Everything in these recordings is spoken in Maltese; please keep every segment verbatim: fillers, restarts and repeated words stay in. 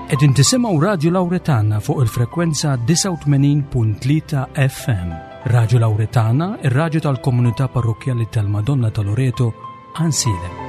Qegħdin tisimgħu Radio Lauretana fuq il-frekwenza disgħa u tmenin punt tlieta F M. Radio Lauretana, ir-radju tal-Komunità Parrokkjali tal-Madonna ta' Loreto, Għajnsielem.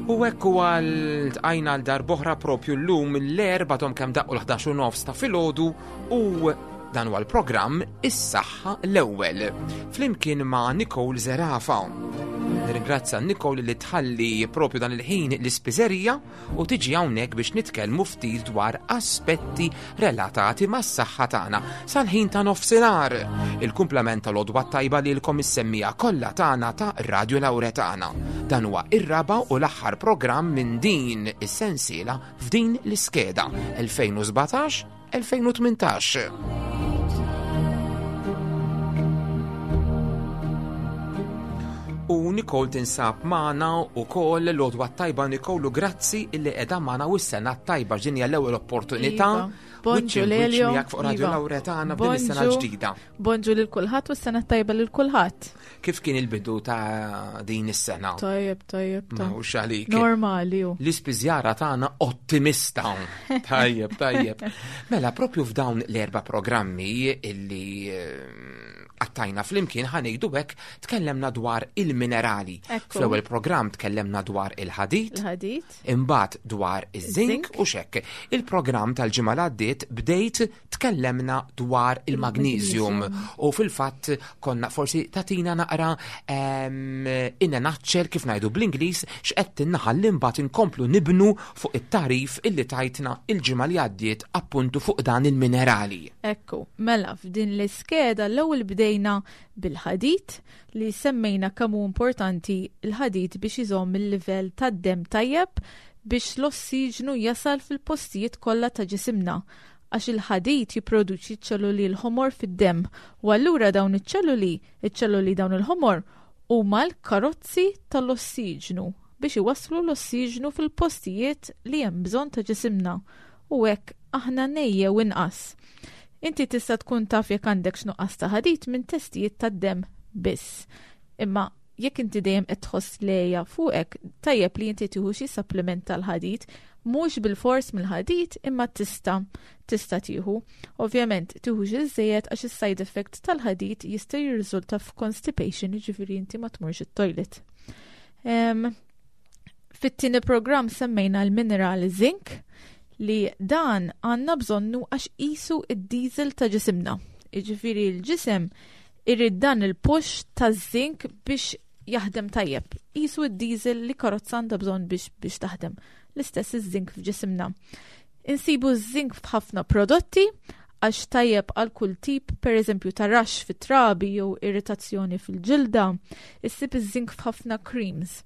U hekk huwa ltqajna għal darb'oħra propju llum l-Erbgħa tom kemm daqqu l-ħdax u nofs ta' filgħodu u dan huwa l-programm Is-Saħħa l-Ewwel flimkien ma' Nicole Zerafa. Nirringrazzja Nicole li tħalli propju dan il-ħin l-ispiżerija u tiġi hawnhekk biex nitkellmu ftit dwar aspetti relatati mas-saħħa tagħna sal-ħin ta' nofsinhar. Il-kumplament tal-għodwa tajba lilkom is-semmija kollha tagħna ta' Radio Lauretana. Dan huwa ir-raba' u l-aħħar programm minn din is-sensiela f'din l-iskeda elfejn u sbatax elfejn u tmintax. U Nicole tinsab magħna wkoll l-għodwa tajba Nicole u grazzi illi qiegħda magħna u s-sena tajba ġinja l-ewwel opportunità. Iva. Bonġu Wiċċ in wiċċ Lelio. miegħek fuq Radio Iva. Lauretana f'din is-sena Bonġu. ġdida. Bonġu lil kulħadd u s-sena tajba lil kulħadd. Kif kien il-bidu ta' din is-sena? Tajjeb, tajjeb, Ma tajjeb. hux għalik. Normali hu. L-ispiżjara tagħna ottimista. Tajjeb, tajjeb. Mela propju f'dawn l-erba' programmi illi, eh, għattajna flimkien ħanejdu hekk tkellemna dwar il-minerali. Ekku. Fl-ewwel programm tkellemna dwar il-ħadid, Il-ħadid. imbagħad dwar iż-żink Iż-żink. u xekk. Il-programm tal-ġimgħa li għaddiet bdejt tkellemna dwar il-magnesium Il-magnesium. u fil-fatt konna forsi tatina naqra, ehm, in a nutshell kif ngħidu bl-Ingliż x'qed tinnaħal imbagħad inkomplu nibnu fuq it-tarif illi tajtna il-ġimgħa li għaddiet appuntu fuq dan il-minerali. Ekku, mela f'din l-iskeda l-ewwel bdejna bil-ħadid li semmejna kemm hu importanti l-ħadid biex iżomm il-livell tad-demm tajjeb biex l-ossiġnu jasal fil-postijiet kollha ta' ġisimna għax il-ħadid jipproduċi ċelluli l-ħomor fid-demm u allura dawn iċ-ċelluli, iċ-ċelluli dawn il-ħomor huma l-karozzi tal-ossiġnu biex iwasslu l-ossiġnu fil-postijiet li hemm bżonn ta' ġisimna u hekk aħna nejjew inqas. Inti tista' tkun taf jekk għandek x'nuqqas ta' ħadid minn testijiet tad-demm biss. Imma jekk inti dejjem qed tħoss lejja fuqek, tajjeb li inti tieħu xi supplement tal-ħadid, mhux bil-fors mill-ħadid imma tista' tista' tieħu. Ovvjament tieħu xi żejjed għax is-side effect tal-ħadid jista' jirriżulta f'constipation, jiġifieri inti ma tmurx it-toilet. Em, fit-tieni programm semmejna l-mineral zinc li dan għandna bżonnu għax qisu id-diesel ta' ġisimna. Jiġifieri l-ġisem irid dan il-push ta' zinc biex jaħdem tajjeb. Qisu id-diesel li karozza għandha bżonn biex, biex taħdem. L-istess iż-zinc f'ġisimna. Insibu ż-zinc f'ħafna prodotti għax tajjeb għal kull tip, per eżempju ta' rax fit-trabi jew irritazzjoni fil-ġilda. Issib iż-zinc f'ħafna creams.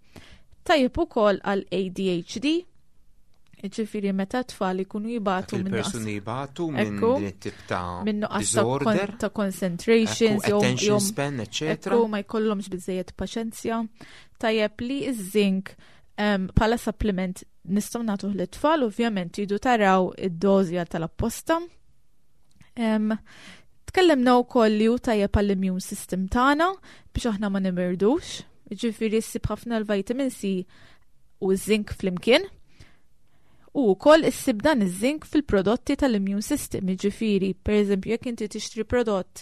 Tajjeb ukoll għal A D H D, jiġifieri meta tfal ikunu jibatu Dak minn nuqqas il-persuni jibatu minn Ekku. din it-tip ta' minn nuqqas ta' kon- disorder, ta' concentration, ekku, jew- attention jew span, eccetera. Ekku, ma jkollhomx biżejjed paċenzja. Tajjeb li iż-zinc, em, bħala supplement nistgħu nagħtuh lit-tfal, ovvjament tridu taraw id-dożja tal-apposta. Em, tkellemna wkoll li hu tajjeb għall-immune system tagħna biex aħna ma nimirdux. Jiġifieri ssib ħafna l-vitamin C u zinc flimkien. U wkoll issib dan iż-zinc fil-prodotti tal-immune system, jiġifieri, per eżempju, jekk inti tixtri prodott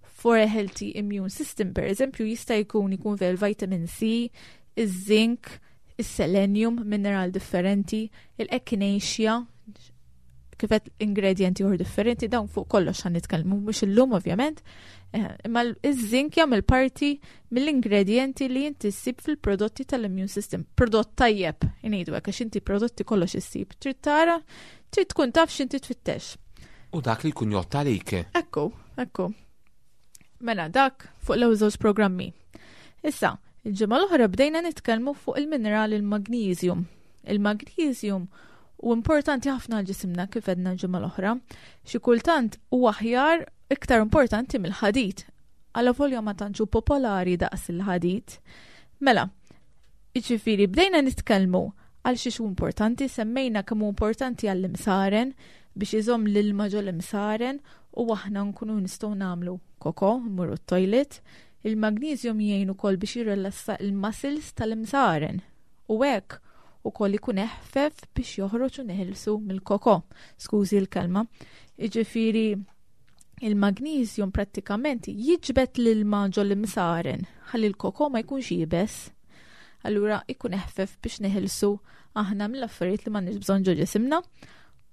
for a healthy immune system, per eżempju, jista' jkun ikun fih il-vitamin C, iż-zinc, is-selenium, mineral differenti, il-echinacea, Kif għedt, ingredienti oħra differenti, dawn fuq kollox ħa nitkellmu, mhux illum ovvjament. Eh, imma iż-zinc jagħmel parti mill-ingredienti li inti ssib fil-prodotti tal-immune system. Prodott tajjeb, ngħidu hekk, għax inti prodotti kollox issib. Trid tara, trid tkun taf x'inti tfittex. U dak li jkun jgħodd għalik. Ekku, ekku. Mela, dak fuq l-ewwel żewġ programmi. Issa, il-ġimgħa l-oħra bdejna nitkellmu fuq il-mineral il-magnesium. Il-magnesium hu importanti ħafna għal ġisimna, kif għedna l-ġimgħa l-oħra. Xi kultant hu aħjar, iktar importanti mill-ħadid. Għalavolja ma tantx hu popolari daqs il-ħadid. Mela, jiġifieri bdejna nitkellmu għal xiex hu importanti, semmejna kemm hu importanti għall-imsaren biex iżomm l-ilma ġol imsaren u aħna nkunu nistgħu nagħmlu koko, mmorru t-toilet. Il-magnesium jgħin ukoll biex jirrelassa il-muscles tal-imsaren u hekk ukoll ikun eħfef biex joħroġ u neħilsu mill-koko. Skużi l-kelma. Jiġifieri il-magnesium prattikament jiġbed l-ilma ġol imsaren ħalli l-koko ma jkunx iebes. Allura ikun eħfef biex neħilsu aħna mill-affarijiet li m'għandniex bżonn ġo ġisimna.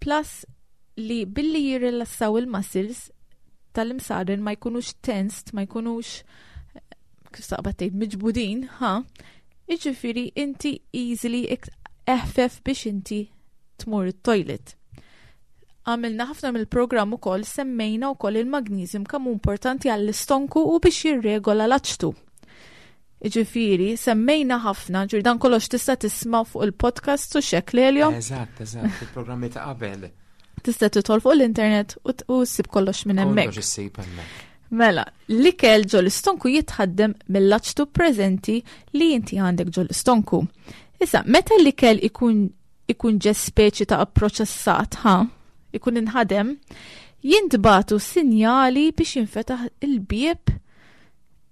Plus li billi jirrilassaw il-muscles tal-imsaren ma jkunux tensed, ma jkunux, kif taqbad tgħid, miġbudin, ha? Jiġifieri inti easily eħfef biex inti tmur it-toilet. Għamilna ħafna mill-programm ukoll, semmejna wkoll il-magnesium kemm importanti għall-istonku u biex jirregola l-aċtu. Jiġifieri, semmejna ħafna, ġur dan kollox tista' tisma' fuq il-podcast u xek Lelio. Eżatt, eżatt, il-programmi ta' qabel. Tista' tidħol fuq l-internet u ssib kollox minn hemmhekk. Kollox issib hemmhekk. Mela, l-ikel ġol istonku jitħaddem mill-aċtu preżenti li inti għandek ġol istonku. Issa, meta l-ikel ikun ikun ġe speċi ta' proċessat, ha, ikun inħadem, jintbagħtu sinjali biex jinfetaħ il-bieb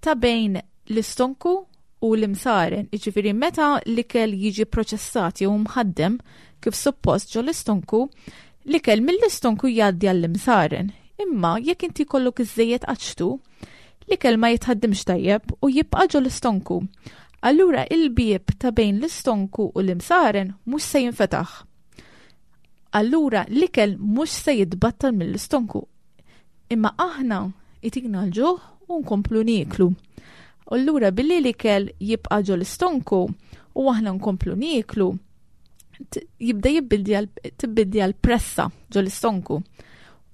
ta' bejn l-istonku u l-imsaren. Jiġifieri meta l-ikel jiġi proċessat jew mħaddem kif suppost ġol istonku, l-ikel mill-istonku jgħaddi għall-imsaren. Imma jekk inti jkollok iżżejjed aċtu, l-ikel ma jitħaddimx tajjeb u jibqa' ġol istonku. Allura il-bieb ta' bejn l-istonku u l-imsaren mhux se jinfetaħ. Allura l-ikel mhux se jitbattal mill-istonku. Imma aħna itina l-ġuħ u nkomplu nieklu. Allura billi l-ikel jibqa' ġol istonku u aħna nkomplu nieklu, jibda jibbildja l-pressa ġol istonku.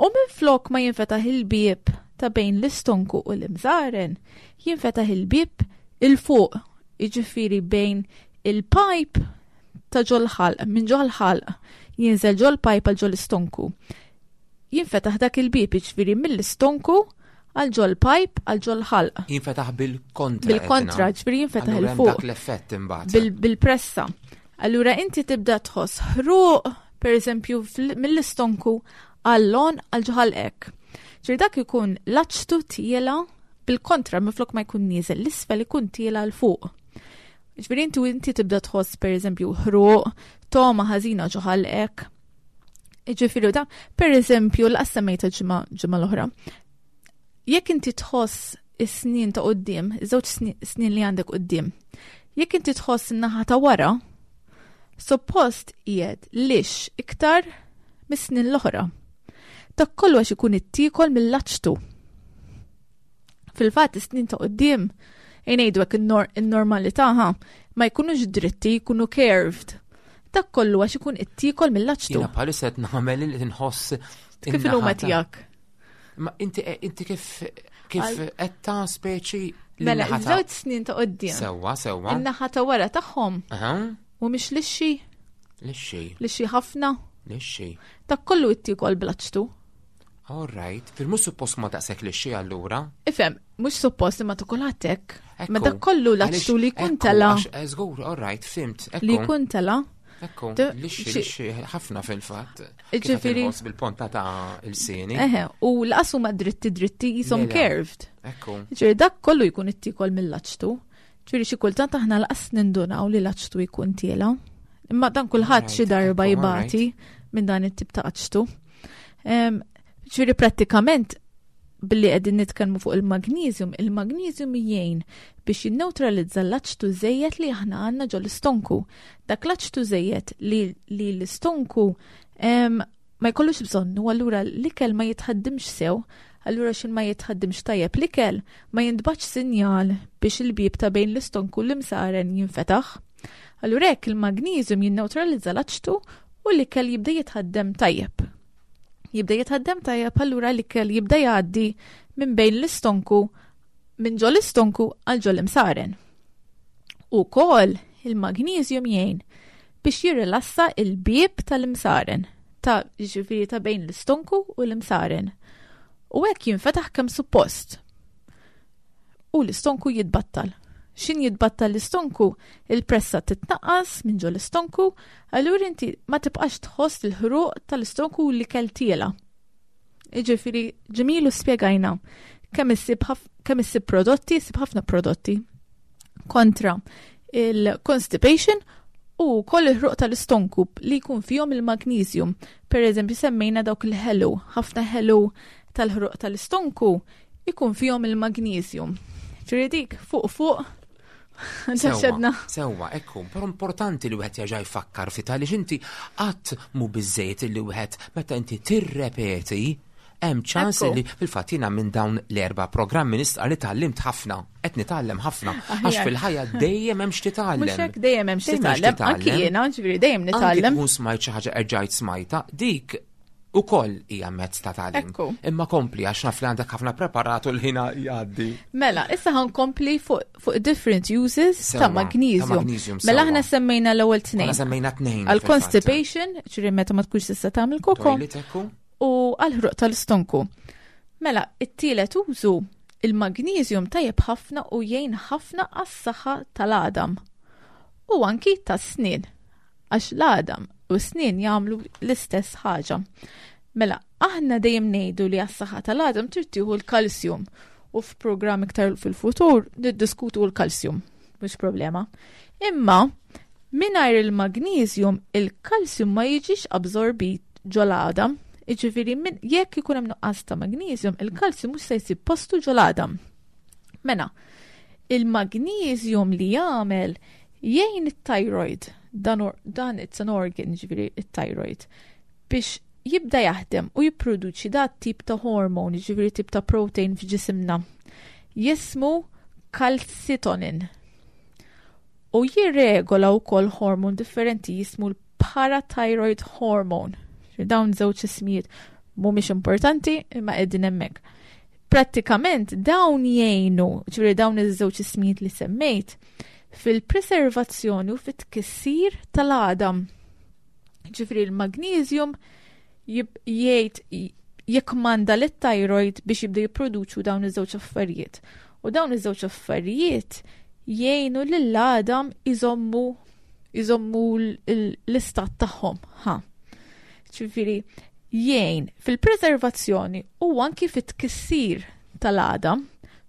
U minn flok ma jinfetaħ il-bieb ta' bejn l-istonku u l-imsaren, jinfetaħ il-bieb il-fuq, jiġifieri bejn il-pipe ta' ġol ħalq, minn ġol ħalq, jinżel ġol pipe għal ġol istonku. Jinfetaħ dak il-bieb, jiġifieri mill-istonku għal ġol pipe għal ġol ħalq. Jinfetaħ bil-kontra. Bil-kontra, jiġifieri jinfetaħ il-fuq. Dak l-effett imbagħad. Bil-pressa. Allura inti tibda tħoss ħruq, per eżempju, mill-istonku għall-lon għal ġo ħalqek. Ġifieri dak ikun l-aċtu tiela bil-kontra, minflok ma jkun nieżel l-isfel ikun tiela 'l fuq. Ġifieri inti inti tibda tħoss, per eżempju, ħruq, togħma ħażina ġo ħalqek. Ġifieri da, per eżempju, l-qassamejta ġimgħa ġimgħa l-oħra. Jekk inti tħoss is-snien ta' quddiem, iż-żewġ snien li għandek quddiem, jekk inti tħoss in-naħa ta' wara, suppost qiegħed lix iktar mis-snien l-oħra. Dak kollu għax ikun ittiekol mill-aċtu. Fil-fatt is-snien ta' quddiem, ngħidu hekk, in-normalità, ha, ma jkunux dritti, jkunu curved. Dak kollu għax ikun ittiekol mill-aċtu. Jiena bħalissa qed nagħmel li nħoss Kif huma tiegħek? Ma inti inti kif kif qed ta' speċi Mela, iż-żewġ snin ta' quddiem. Sewwa, sewwa. In-naħa ta' wara tagħhom. U mhix lixxi. Lixxi. Lixxi ħafna. Lixxi. Dak kollu ittiekol bl-aċtu. All right. Fil-mhux suppost ma daqshekk lixxi allura. Ifhem, mhux suppost imma tukol għatek. Ma dak kollu l-aċtu li jkun tela. Żgur, all right, fhimt. Li jkun tela. Ekku, lixxi, lixxi ħafna fil-fatt. Ġifieri. Bil-ponta ta' l-ilsien. Eħe, u l-qasu ma dritti dritti jisom curved. Ekku. Ġifieri dak kollu jkun ittiekol mill-aċtu. Ġifieri xi kultant aħna l-qas nindunaw li l-aċtu jkun tiela. Imma dan kulħadd xi darba jibati minn dan it-tip ta' aċtu. Ġifieri prattikament billi qegħdin nitkellmu fuq il-magnesium, il-magnesium jgħin biex jinneutralizza l-aċtu żejjed li aħna għandna ġol istonku. Dak l-aċtu żejjed li, li l-istonku ma jkollux bżonnu, allura l-ikel ma jitħaddimx sew, allura xin ma jitħaddimx tajjeb l-ikel ma jintbagħatx sinjal biex il-bib ta' bejn l-istonku l-imsaren jinfetaħ. Allura hekk il-magnesium jinneutralizza l-aċtu u l-ikel jibda jitħaddem tajjeb. Jibda jitħaddem tajjeb, allura l-ikel jibda jgħaddi minn bejn l-istonku, minn ġo l-istonku għal ġo l-imsaren. Ukoll il-magnesium jgħin biex jirrilassa il-bib tal-imsaren, ta' ġifieri ta' bejn l-istonku u l-imsaren. U hekk jinfetaħ kemm suppost. U l-istonku jitbattal. Xin jitbattal l-istonku, il-pressa titnaqqas minn ġo l-istonku, allura inti ma tibqax tħoss il-ħruq tal-istonku li kell tiela. Iġifieri ġemilu spjegajna kemm issib kemm issib prodotti, issib ħafna prodotti kontra il-constipation u koll il-ħruq tal-istonku li jkun fihom il-magnesium. Per eżempju, semmejna dawk il-ħelu, ħafna ħelu tal-ħruq tal-istonku ikun fihom il-magnesium. Ġifieri dik fuq fuq Sewwa, sewwa, ekku, però importanti li wieħed jerġa' jfakkar ftit għaliex inti qatt mhu biżejjed li wieħed meta inti tirrepeti hemm ċans li fil-fatt jiena minn dawn l-erba' programmi nistqa' li tgħallimt ħafna, qed nitgħallem ħafna, għax fil-ħajja dejjem hemm x'titgħallem. Mhux hekk, dejjem hemm x'titgħallem. Anki jiena, ġifieri dejjem nitgħallem. Anki tkun smajt xi ħaġa erġajt smajta, dik ukoll hija mezz ta' tagħlim. Imma kompli għax naf li għandek ħafna preparatu l-ħin jgħaddi. Mela, issa ħankompli fuq fuq different uses ta' magnesium. Mela aħna semmejna l-ewwel tnejn. Aħna semmejna tnejn. Għal constipation, ġifieri meta ma tkunx tista' tagħmel koko. U għal ħruq tal-istonku. Mela, it-tielet użu, il-magnesium tajjeb ħafna u jgħin ħafna għas-saħħa tal-għadam. U anki tas-snien. Għax l-għadam u s-snien jagħmlu l-istess ħaġa. Mela, aħna dejjem ngħidu li għas-saħħa tal-għadam trid tieħu l-kalsjum u f'programm iktar fil-futur niddiskutu l-kalsjum, mhux problema. Imma mingħajr il-magnesium il-kalsjum ma jiġix absorbit ġol-għadam. Jiġifieri min jekk ikun hemm nuqqas ta' magnesium, il-kalsjum mhux se jsib postu ġol-għadam. Mela, il-magnesium li jagħmel jgħin it-thyroid, dan, or, dan it's an organ, ġifieri it-thyroid, biex jibda jaħdem u jipproduċi dat tip ta' hormone, ġifieri tip ta' protein f'ġisimna. Jismu calcitonin. U jirregola wkoll hormone differenti jismu l-parathyroid hormone. Dawn żewġ ismijiet mhumiex importanti imma qegħdin hemmhekk. Prattikament dawn jgħinu, ġifieri dawn iż-żewġ ismijiet li semmejt, fil-preservazzjoni u fit-tkissir tal-għadam. Ġifieri l-magnesium jgħid jikkmanda lit-thyroid biex jibda jipproduċu dawn iż-żewġ affarijiet. U dawn iż-żewġ affarijiet jgħinu lill-għadam iżommu iżommu l-istat tagħhom. Ha. Ġifieri jgħin fil-preservazzjoni u anki fit-tkissir tal-għadam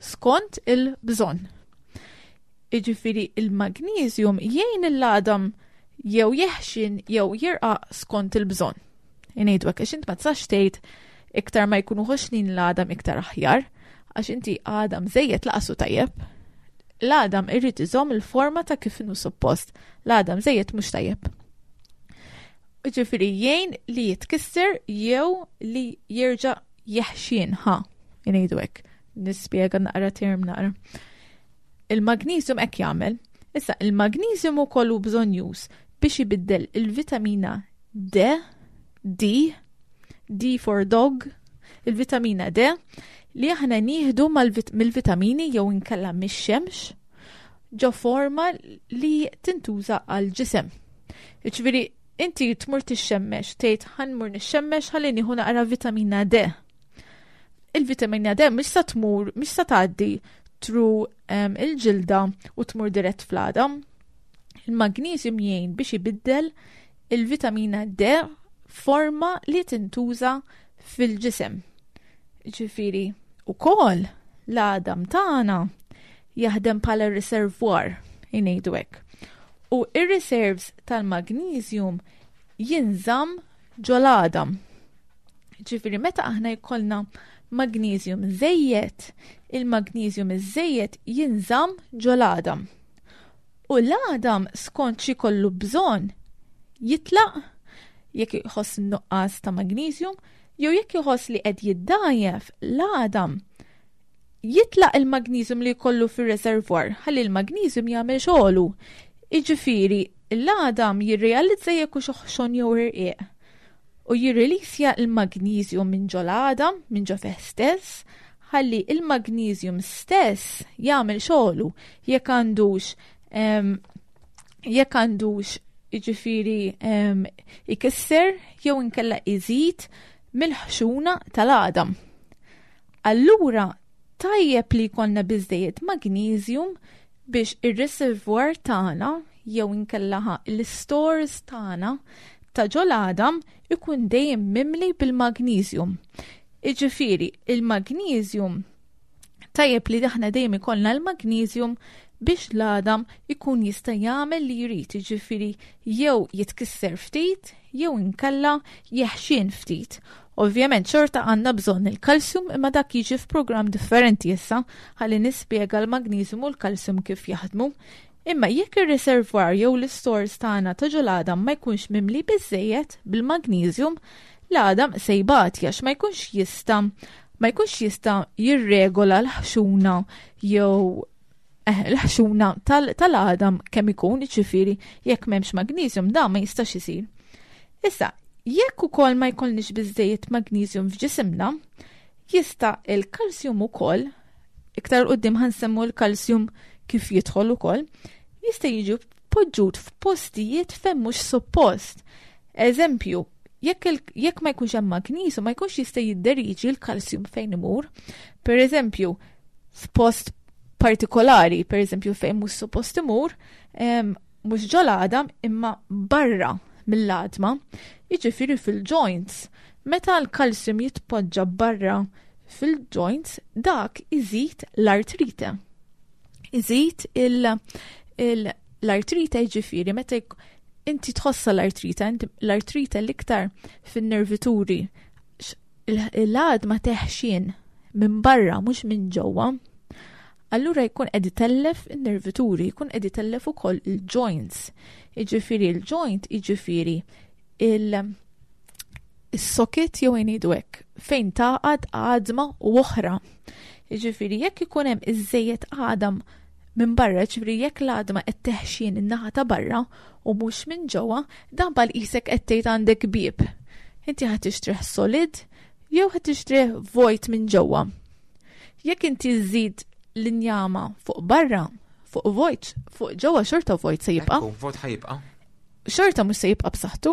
skont il-bżonn. Jiġifieri il-magnesium jgħin l-għadam jew jeħxin jew jirqaq skont il-bżonn. Ngħidu hekk għax int ma tistax tgħid iktar ma jkunu ħoxnin l-għadam iktar aħjar, għax inti għadam żejjed lanqas hu tajjeb. L-għadam irrid iżomm il-forma ta' kif inhu suppost. L-għadam żejjed mhux tajjeb. Ġifieri jgħin li jitkisser jew li jerġa' jeħxin, ħa, ngħidu hekk. Nispjega naqra term naqra. Il-magnesium hekk jagħmel. Issa, il-magnesium ukoll hu bżonjuż biex ibiddel il-vitamina D, D, D for dog, il-vitamina D li aħna nieħdu mill-vitamini jew inkella mix-xemx ġo forma li tintuża għal ġisem. Ġifieri inti tmur tixxemmex, tgħid ħa mmur nixxemmex ħalli nieħu naqra vitamina D. Il-vitamina D mhix sa tmur, mhix sa tgħaddi through um, il-ġilda u tmur dirett fl-għadam. Il-magnesium jgħin biex ibiddel il-vitamina D forma li tintuża fil-ġisem. Ġifieri, ukoll l-għadam tagħna jaħdem bħala reservoir, ngħidu hekk. U ir-reserves tal-magnesium jinżamm ġol-għadam. Ġifieri meta aħna jkollna magnesium żejjed, il-magnesium iż-żejjed jinżamm ġol-għadam. U l-għadam skont xi kollu bżonn jitlaq jekk iħoss nuqqas ta' magnesium, jew jekk iħoss li qed jiddajjef l-għadam, jitlaq il-magnesium li jkollu fir-reservoir, ħalli l-magnesium jagħmel xogħlu. Jiġifieri, l-għadam jirrealizza jekk hux oħxon jew irqiq u jirrilisja il-magnesium minn ġo l-għadam, minn ġo fih stess, ħalli il-magnesium stess jagħmel xogħlu jekk għandux em, jekk għandux jiġifieri em, ikisser jew inkella iżid mill-ħxuna tal-għadam. Allura tajjeb li jkollna biżejjed magnesium biex ir-reservoir tagħna jew inkella ħa l-stores tagħna ta' ġol-għadam ikun dejjem mimli bil-magnesium. Jiġifieri, il-magnesium tajjeb li aħna dejjem ikollna l-magnesium biex l-għadam ikun jista' jagħmel li jrid, jiġifieri jew jitkisser ftit jew inkella jeħxien ftit. Ovvjament xorta għandna bżonn il-kalsium, imma dak jiġi f'programm differenti issa ħalli nispjega l-magnesium u l-kalsium kif jaħdmu. Imma jekk ir-reservoir jew l-stores tagħna ta' ġol-għadam ma jkunx mimli biżejjed bil-magnesium, l-għadam se jbati għax ma jkunx jista' ma jkunx jista' jirregola l-ħxuna jew eh, l-ħxuna tal-għadam kemm ikun, jiġifieri jekk m'hemmx magnesium da ma jistax isir. Issa, jekk ukoll ma jkollniex biżejjed magnesium f'ġisimna, jista' il-kalsium ukoll, iktar quddiem ħa nsemmu l-kalsium kif jidħol ukoll, jista' jiġi poġġut f'postijiet fejn mhux suppost. Eżempju, jekk, jekk ma jkunx hemm magnesium, ma jkunx jista' jidderiġi l-kalsium fejn imur. Per eżempju, f'post partikolari, per eżempju fejn mhux suppost imur, mhux ġol-għadam imma barra mill-għadma, jiġifieri fil-joints. Meta l-kalsium jitpoġġa barra fil-joints, dak iżid l-artrite. Iżid l-artrite, jiġifieri meta inti tħossa l-artrite, l-artrite l-iktar fin-nervituri, l-għadma teħxien minn barra mhux minn ġewwa. Allura jkun qed itellef in-nervituri, jkun qed itellef ukoll il-joints. Jiġifieri il-joint, jiġifieri il-socket jew ngħidu hekk, fejn taqgħad għadma u oħra. Jiġifieri jekk ikun hemm iżejjed għadam minn barra, ġifieri jekk l-għadma qed teħxien in-naħa ta' barra u mhux minn ġewwa, dan bħal qisek qed tgħid għandek bieb. Inti ħa tixtrih solid jew ħa tixtrih vojt minn ġewwa. Jekk inti żżid l-injama fuq barra, fuq vojt, fuq ġewwa xorta vojt se jibqa'. Vojt ħa jibqa'. Xorta mhux se jibqa' b'saħħtu.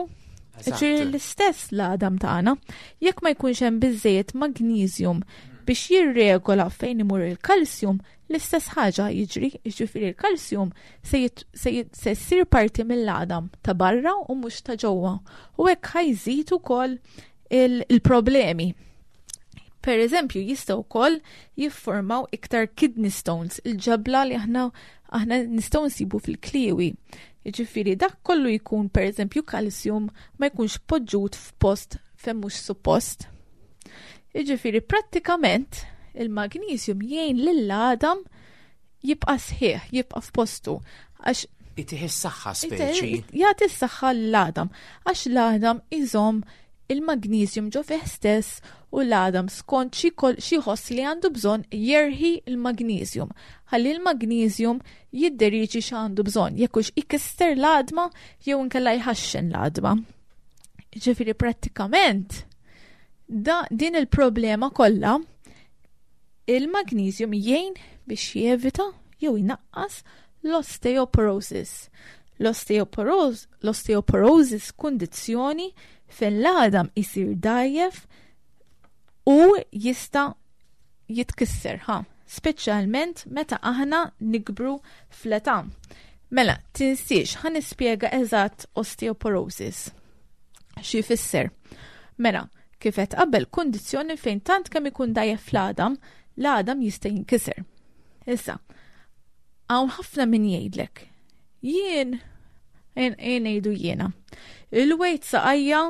Ġifieri l-istess l-għadam tagħna, jekk ma jkunx hemm biżejjed magnesium biex jirregola fejn imur il-kalsium, l-istess ħaġa jiġri, jiġifieri l-kalsium se se ssir parti mill-għadam ta' barra u mhux ta' ġewwa. U hekk ħa jżid ukoll il-problemi. Per eżempju, jistgħu wkoll jiffurmaw iktar kidney stones, il-ġebla li aħna aħna nistgħu nsibu fil-kliewi. Jiġifieri dak kollu jkun per eżempju kalsium ma jkunx poġġut f'post fejn mhux suppost. Jiġifieri prattikament il-magnesium jgħin lill-għadam jibqa' sħiħ, jibqa' f'postu. Għax Itih is-saħħa speċi. Jagħti s-saħħa l-għadam, għax l-għadam iżomm il-magnesium ġo fih stess u l-għadam skont xi ħoss li għandu bżonn jerħi il-magnesium. Ħalli l-magnesium jidderiġi x'għandu bżonn, jekk hux ikisser l-għadma jew inkella jħaxxen l-għadma. Ġifieri prattikament da din il-problema kollha il-magnesium jgħin biex jevita jew jnaqqas l-osteoporosis. L-osteoporosis, l-osteoporosis kundizzjoni fejn l-għadam isir dajjef u jista' jitkisser, ha, speċjalment meta aħna nikbru fl-età. Mela, tinsiex, ħa nispjega eżatt osteoporosis. Xi jfisser? Mela, kif qed qabel, kundizzjoni fejn tant kemm ikun dajjef fl-għadam, l-għadam jista' jinkiser. Issa, hawn ħafna min jgħidlek, jien, jien, jien ngħidu jiena, il-wejt saqajja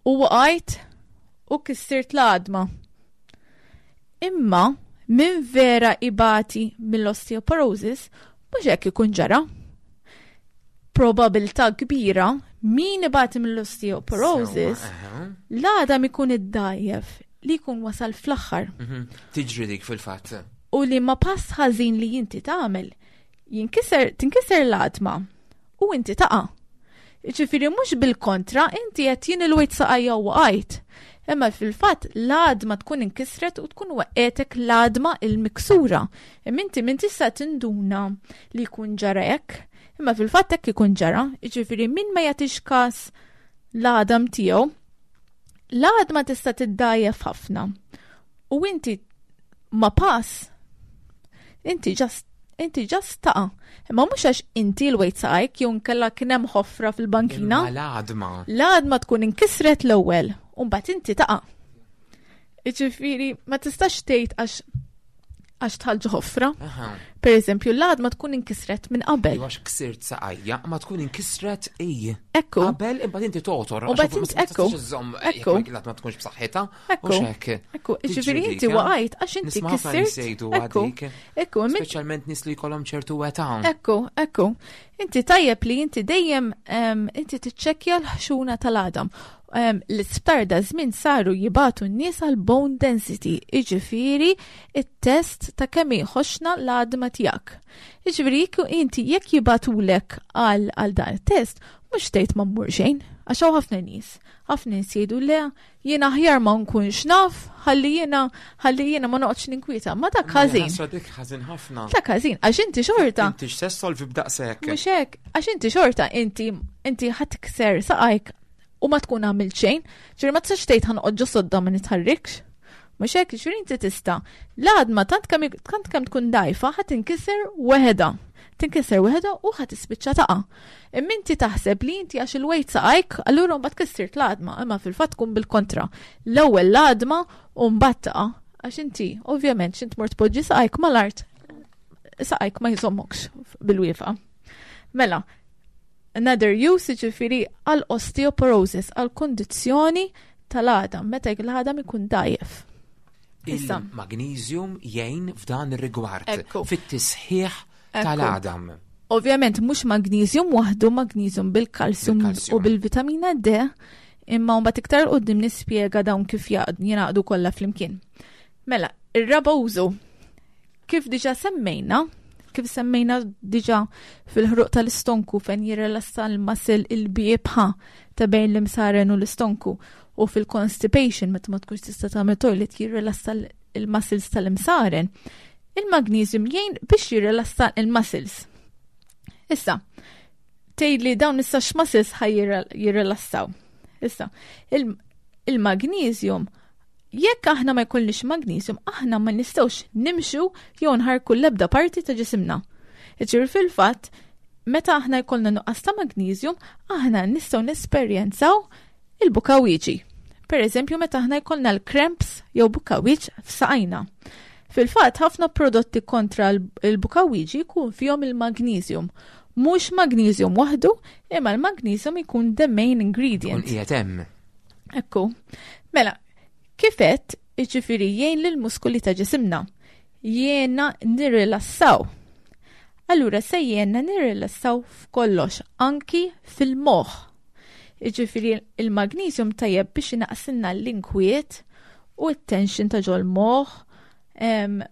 u waqajt u kissirt l-għadma. Imma min vera ibati mill-osteoporosis mhux hekk ikun ġara. Probabilità kbira min ibati mill-osteoporosis l-għadam ikun iddgħajjef li jkun wasal fl-aħħar. Mhm. Tiġri dik fil-fatt. U li ma pass ħażin li inti tagħmel jinkiser tinkiser l-għadma u inti taqa'. Ġifieri mhux bil-kontra, inti qed jien ilwejt saqajja u waqajt. Imma fil-fatt l-għadma tkun inkisret u tkun waqgħetek l-għadma il-miksura. Imma inti min tista' tinduna li jkun ġara hekk, imma fil-fatt hekk ikun ġara, jiġifieri min ma jagħtix każ l-għadam tiegħu, l-għadma tista' tiddgħajjef ħafna. U inti ma pass, inti just inti just taqa'. Imma mhux għax inti lwejt saqajk jew nkella kien hemm ħofra fil-bankina. Imma l-għadma. L-għadma tkun inkisret l-ewwel u mbagħad inti taqa'. Jiġifieri ma tistax tgħid għax għax tħallġu ħofra. Aha. Per eżempju, l-għadma tkun inkisret minn qabel. Għax ksirt saqajja, ma tkun inkisret ej. Ekku. Qabel imbagħad inti togħtor. U mbagħad inti- ekku. Ekku. Jekk l-għadma tkunx b'saħħitha. Ekku. U xek. Ekku, jiġifieri inti waqajt għax inti Nisma' ħafna kissirt. nies jgħidu Ekku. għadik. Ekku, min- Speċjalment nies li jkollhom ċertu età. Ekku, ekku. Inti tajjeb li inti dejjem em, inti tiċċekkja l-ħxuna tal-għadam. Em, L-isptar da żmien saru jibagħtu n-nies għal bone density, iġifieri it-test ta' kemm hi ħoxna l-għadma tiegħek. Iġifieri jekk inti jekk jibagħtulek għal għal dan it-test, mhux tgħid ma mmur xejn, għax hawn ħafna nies. Ħafna nies jgħidu le, jiena aħjar ma nkunx naf, ħalli jiena ħalli jiena ma noqgħodx ninkwieta. Ma dak ħażin. Ħasra dik ħażin ħafna. Dak ħażin, għax inti xorta. Inti x'se solvi b'daqshekk. Mhux hekk, għax inti xorta inti inti ħa tikser saqajk u ma tkun għamilt xejn, ġifieri ma tistax tgħid ħa noqgħod ġo sodda ma nitħarrikx. Mhux hekk, ġifieri inti tista'. L-għadma tant kemm tant kemm tkun dgħajfa ħa tinkiser weħeda. Tinkiser weħeda u ħa tispiċċa taqa'. Imma inti taħseb li inti għax ilwejt saqajk, allura mbagħad kissirt l-għadma, imma fil-fatt tkun bil-kontra. L-ewwel l-għadma u mbagħad taqa'. Għax inti, ovvjament, x'int mort poġġi saqajk mal-art, saqajk ma jżommokx bil-wieqfa. Mela, another use ġifieri għal osteoporosis, għal kondizzjoni tal-għadam, meta l-għadam ikun dgħajjef. Issa. Il-magnesium jgħin f'dan ir-rigward. Ekku. Fit-tisħiħ Ekku. tal-għadam. Ovvjament mhux magnesium waħdu, magnesium bil-kalsium Bil-kalsium. u bil-vitamina D, imma mbagħad iktar quddiem nispjega dawn kif jaqd- jingħaqdu kollha flimkien. Mela, ir-raba użu kif diġà semmejna, kif semmejna diġà fil-ħruq tal-istonku fejn jirrelassa l-muscle il-biebħa ta' bejn l-imsaren u l-istonku u fil-constipation meta ma tkunx tista' tagħmel toilet jirrelassa l- il-muscles tal-imsaren. Il-magnesium jgħin biex jirrelassa il-muscles. Issa, tgħid li dawn issa x'muscles ħa jirrelassaw. Issa, il- il-magnesium jekk aħna ma jkollniex magnesium, aħna ma nistgħux nimxu jew nħarku l-ebda parti ta' ġisimna. Ġifieri fil-fatt, meta aħna jkollna nuqqas ta' magnesium, aħna nistgħu nesperjenzaw il-bukawiġi. Per eżempju, meta aħna jkollna l-cramps jew bukawiġ f'saqajna. Fil-fatt, ħafna prodotti kontra l- il-bukawiġi jkun fihom il-magnesium. Mhux magnesium waħdu, imma l-magnesium ikun the main ingredient. Kun qiegħed hemm. Ekku. Mela, kifet, iġifiri jgħin lill-muskoli ta' ġisimna. Jgħinna nirrilassaw. Allura se jgħinna nirrilassaw f'kollox, anki fil-moħ. Iġifiri il-magnesium tajjeb biex inaqqsilna l-inkwiet u t-tension ta' ġol-moħ. Em,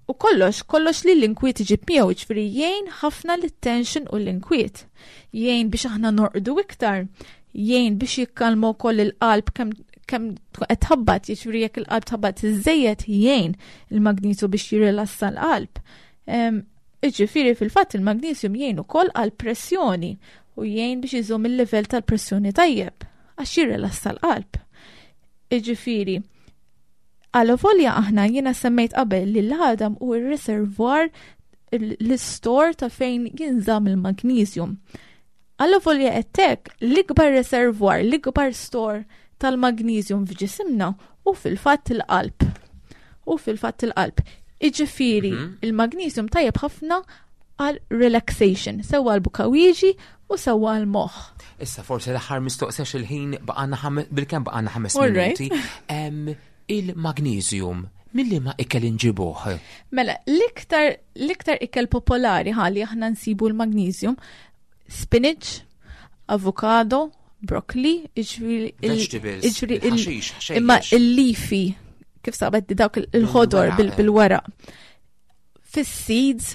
u kollox, kollox li l-inkwiet iġib miegħu, ġifieri jgħin ħafna l-tension u l-inkwiet. Jgħin biex aħna norqdu iktar, jgħin biex jikkalma wkoll il-qalb kemm kemm qed tħabbat, jiġifieri jekk il-qalb tħabbat iżejjed jgħin il-magnesium biex jirrilassa l-qalb. Em, Jiġifieri fil-fatt il-magnesium jgħin ukoll għal pressjoni u jgħin biex iżomm il-livell tal-pressjoni tajjeb għax jirrilassa l-qalb. Jiġifieri, Għalavolja aħna jiena semmejt qabel li l-għadam hu il-reservoir l-store ta' fejn jinżamm il-magnesium. Għalavolja għedtlek l-ikbar reservoir, l-ikbar store tal-magnesium f'ġisimna hu fil-fatt il-qalb. U fil-fatt il-qalb. Iġifieri, Mhm. il-magnesium tajjeb ħafna għal relaxation, sewa għal bukawiġi u sewa għal moħ. Issa forsi l-aħħar mistoqsija il-ħin baqgħalna ħame- bilkemm baqgħalna ħames All right. minuti. Em, Il-magnesium, milli ma ikel inġibuh? Mela, l-iktar l-iktar ikel popolari ħalli aħna nsibu l-magnesium Spinach, avocado, broccoli, jiġifieri il- Vegetables, jiġifieri il- il-ħaxix, imma ħxejjex. il-leafy, kif sabet dawk il- il-ħodor Bil-weraq, bil- eh. bil-weraq. Fis-seeds,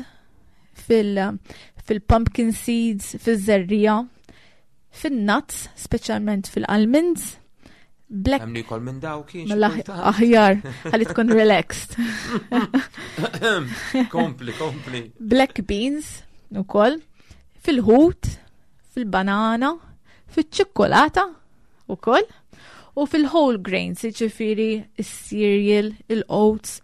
fil- fil-pumpkin seeds, fil-żerriegħa, fil-nuts, speċjalment fil-almonds, black Hemm li jkoll minn daw kien xi mela kultant. aħjar, ħalli tkun relaxed. Kompli, kompli. Black beans, ukoll, fil-ħut, fil-banana, fil-ċikkolata, ukoll, u fil-whole grains, jiġifieri il-cereal, il-oats,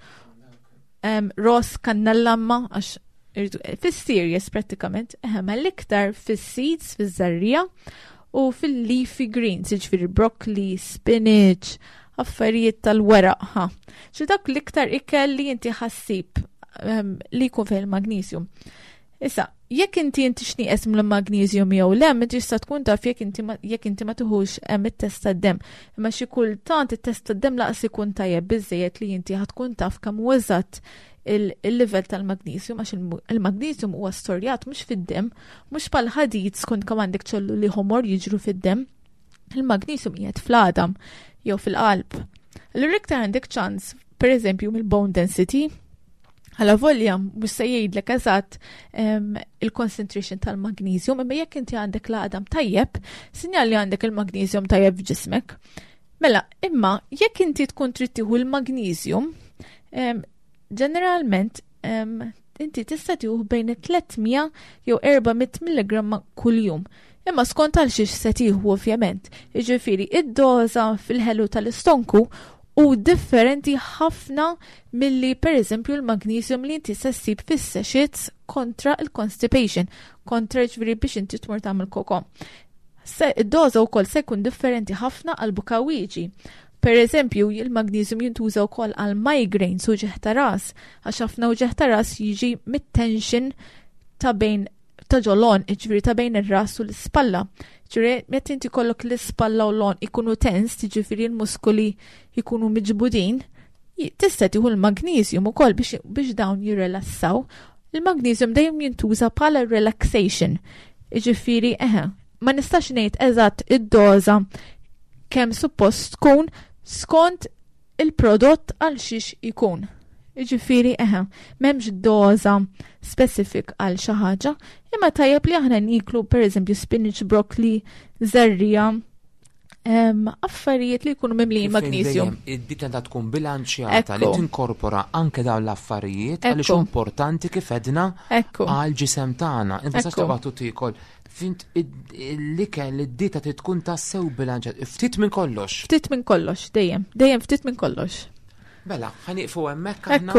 um, ross kannella ma, għax irridu- fil-cereals prattikament, eħe, ma l-iktar fil-seeds, fil-żerriegħa, u fil-leafy greens, jiġifieri broccoli, spinach, affarijiet tal-weraq, ha. ċi dak l-iktar ikel li inti ħa ssib um, li jkun fih il-magnesium. Issa, jekk inti inti x'nieqes mill-magnesium jew le, inti tista' tkun taf jekk inti ma, jekk inti ma tiħux hemm it-test tad-demm. Imma xi kultant it-test tad-demm lanqas ikun tajjeb biżejjed li inti ħa tkun taf kemm hu eżatt il-livell tal-magnesium għax il-magnesium huwa storjat mhux fid-demm, mhux bħal ħadid skont kemm għandek ċelluli ħomor jiġru fid-demm. Il-magnesium qiegħed fl-għadam jew fil-qalb. Allura iktar għandek ċans, per eżempju, mill-bone density, Għala volja, mhux se jgħidlek eżatt il-concentration tal-magnesium, imma jekk inti għandek l-għadam tajjeb, sinjal li għandek il-magnesium tajjeb f'ġismek. Mela, imma jekk inti tkun trid tieħu l-magnesium, ġeneralment inti tista' tieħu bejn tliet mija jew erba' mija milligramma kuljum. Imma skont għal xiex se tieħu, ovvjament. Jiġifieri id-doża fil-ħelu tal-istonku u differenti ħafna milli, per eżempju, l-magnesium li inti se ssib fis-sachets kontra il-constipation, kontra, ġifieri, biex inti tmur tagħmel koko. Id-doża wkoll se jkun differenti ħafna għal bukawieġi. Per eżempju, il-magnesium jintuża wkoll għal migraines u uġigħ ta' ras, għax ħafna uġigħ ta' ras jiġi mit-tension ta' bejn ta' ġol-għonq, ġifieri ta' bejn ir-ras u l-ispalla. Ġifieri, meta inti kollok l-ispalla u l-għonq ikunu tens, ġifieri l-muskoli ikunu miġbudin, tista' tieħu l-magnesium ukoll biex, biex dawn jirrelassaw. Il-magnesium dejjem jintuża bħala relaxation. Ġifieri, eħe, ma nistax ngħid eżatt id-doża kemm suppost tkun skont il-prodott għal xiex ikun. Ġifieri, eħe, m'hemmx doza specifik għal xi ħaġa, imma tajjeb li aħna niklu, per eżempju, spinach, broccoli, żerriegħa, affarijiet li jkunu mimlijin magnesium. Id-dieta ta' tkun bilanċjata li tinkorpora anke dawn l-affarijiet għaliex importanti, kif edna, għal ġisem tagħna. Inti sa taqbad tiekol. Fint l-ikel, id-dieta tkun tassew bilanċjata. Ftit minn kollox. Ftit minn kollox, dejjem. Dejjem ftit minn kollox. Bella, ħa nieqfu hemmhekk aħna.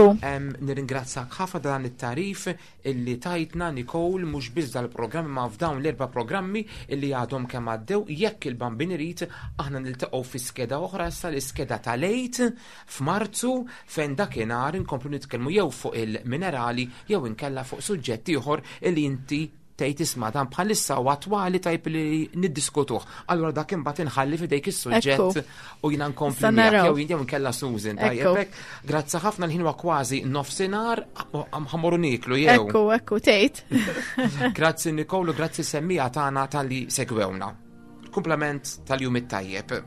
Nirringrazzak ħafna dan it-tarif illi tajtna, Nicole, mhux biss dal-programmi ma f'dawn l-erba' programmi illi għadhom kemm għaddew. Jekk il-Bambin irid, aħna niltaqgħu fi skeda oħra issa, l-iskeda tal-Għid f'Marzu, fejn dakinhar inkomplu nitkellmu jew fuq il-minerali jew inkella fuq suġġett ieħor illi inti tgħid, "Isma', dan bħalissa u attwali, tajb li niddiskutuh." Allura dak imbagħad inħalli f'idejk is-suġġett u jiena nkompli miegħek jew jew inkella Susan, tajjeb hekk. Grazzi ħafna, l-ħin huwa kważi nofsinhar, ħa mmorru nieklu jew. Ekku, ekku, tgħid. Grazzi Nicole, grazzi semmiegħa tagħna talli segwewna. Kumplament tal-jum it-tajjeb.